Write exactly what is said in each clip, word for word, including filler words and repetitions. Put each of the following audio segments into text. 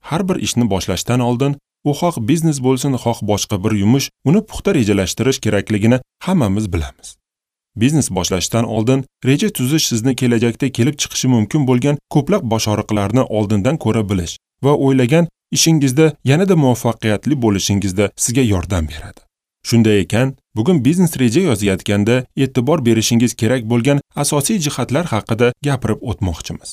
Har bir ishni boshlashdan oldin, u xoh biznes bo'lsin, xoh boshqa bir yumush, uni puxta rejalashtirish kerakligini hammamiz bilamiz. Biznes boshlashdan oldin reja tuzish sizni kelajakda kelib chiqishi mumkin bo'lgan ko'plab boshog'riqlarni oldindan ko'ra bilish va o'ylagan ishingizda yanada muvaffaqiyatli bo'lishingizda sizga yordam beradi. Shunday ekan, bugun biznes reja yozayotganda e'tibor berishingiz kerak bo'lgan asosiy jihatlar haqida gapirib o'tmoqchimiz.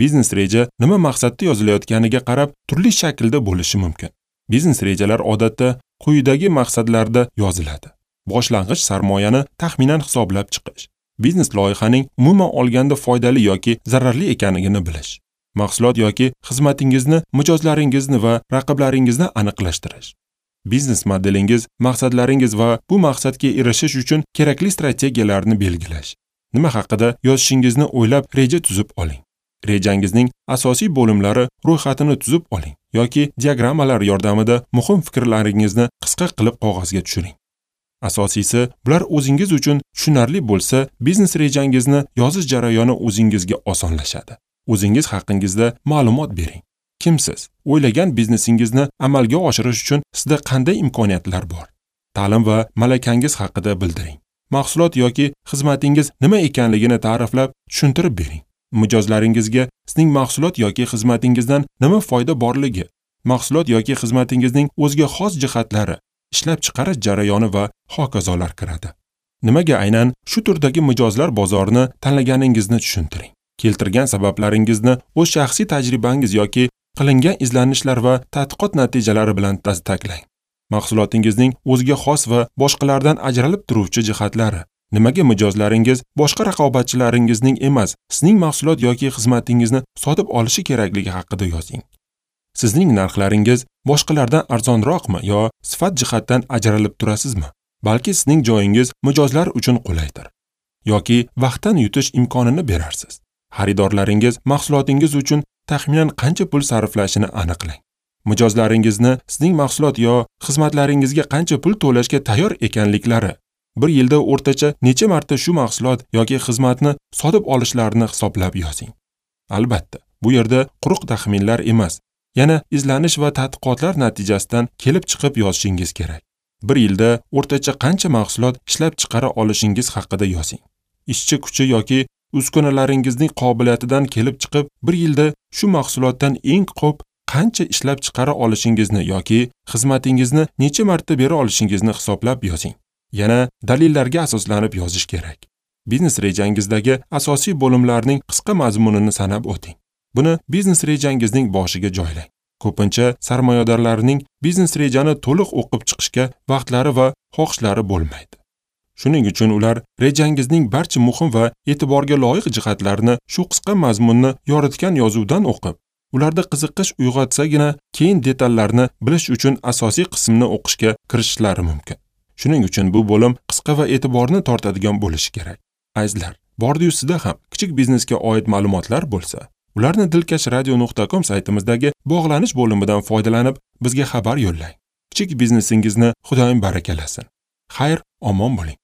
Biznes reja nima maqsadda yozilayotganiga qarab turli shaklda bo'lishi mumkin. Biznes rejalar odatda quyidagi maqsadlarda yoziladi. Boshlang'ich sarmoyani taxminan hisoblab chiqish, biznes loyihaning umuman olganda foydali yoki zararli ekanligini bilish, mahsulot yoki xizmatingizni, mijozlaringizni va raqiblaringizni aniqlashtirish, biznes modelingiz, maqsadlaringiz va bu maqsadga erishish uchun kerakli strategiyalarni belgilash. Nima haqida yozishingizni o'ylab reja tuzib oling. Rejangizning asosiy bo'limlari ro'yxatini tuzib oling yoki diagrammalar yordamida muhim fikrlaringizni qisqa qilib qog'ozga tushiring. Asosiysi, bular o'zingiz uchun tushunarli bo'lsa, biznes rejangizni yozish jarayoni o'zingizga osonlashadi. O'zingiz haqingizda ma'lumot bering. Kimsiz? O'ylagan biznesingizni amalga oshirish uchun sizda qanday imkoniyatlar bor? Ta'lim va malakangiz haqida bildiring. Mahsulot yoki xizmatingiz nima ekanligini ta'riflab, tushuntirib bering. Mijozlaringizga sizning mahsulot yoki xizmatingizdan nima foyda borligi, mahsulot yoki xizmatingizning o'ziga xos jihatlari, ishlab chiqarish jarayoni va hokazolar kiradi. Nimaga aynan shu turdagi mijozlar bozorini tanlaganingizni tushuntiring. Keltirgan sabablaringizni o'z shaxsiy tajribangiz yoki qilingan izlanishlar va tadqiqot natijalari bilan tasdiqlang. Mahsulotingizning o'ziga xos va boshqalardan ajralib turuvchi jihatlari, nimaga mijozlaringiz boshqa raqobatchilaringizning emas, sizning mahsulot yoki xizmatingizni sotib olishi kerakligi haqida yozing. Sizning narxlaringiz boshqalardan arzonroqmi yo sifat jihatdan ajralib turasizmi? Balki sizning joyingiz mijozlar uchun qulaydir yoki vaqtdan yutish imkonini berarsiz. Xaridorlaringiz mahsulotingiz uchun taxminan qancha pul sarflashini aniqlang. Mijozlaringizni sizning mahsulot yo xizmatlaringizga qancha pul to'lashga tayyor ekanliklari, bir yilda o'rtacha necha marta shu mahsulot yoki xizmatni sotib olishlarini hisoblab yozing. Albatta, bu yerda quruq taxminlar emas, yana izlanish va tadqiqotlar natijasidan kelib chiqib yozishingiz kerak. Bir yilda o'rtacha qancha mahsulot ishlab chiqara olishingiz haqida yozing. Ishchi kuchi yoki uskunalaringizning qobiliyatidan kelib chiqib, bir yilda shu mahsulotdan eng ko'p qancha ishlab chiqara olishingizni yoki xizmatingizni necha marta bera olishingizni hisoblab yozing. Yana dalillarga asoslanib yozish kerak. Biznes rejangizdagi asosiy bo'limlarning qisqa mazmunini sanab o'ting. Buni biznes rejangizning boshiga joylang. Ko'pincha sarmoyadorlarning biznes rejani to'liq o'qib chiqishga vaqtlari va xohishlari bo'lmaydi. Shuning uchun ular rejangizning barcha muhim va e'tiborga loyiq jihatlarini shu qisqa mazmunni yoritgan yozuvdan o'qib, ularda qiziqish uyg'otsagina keyin detallarni bilish uchun asosiy qismni o'qishga kirishishlari mumkin. Shuning uchun bu bo'lim qisqa va e'tiborni tortadigan bo'lishi kerak. Azizlar, bordi-yu sizda ham kichik biznesga oid ma'lumotlar bo'lsa, ularni dilkash radio nuqta com saytimizdagi bog'lanish bo'limidan foydalanib bizga xabar yo'llang. Kichik biznesingizni Xudoyim barakalasin. Xayr, omon bo'ling.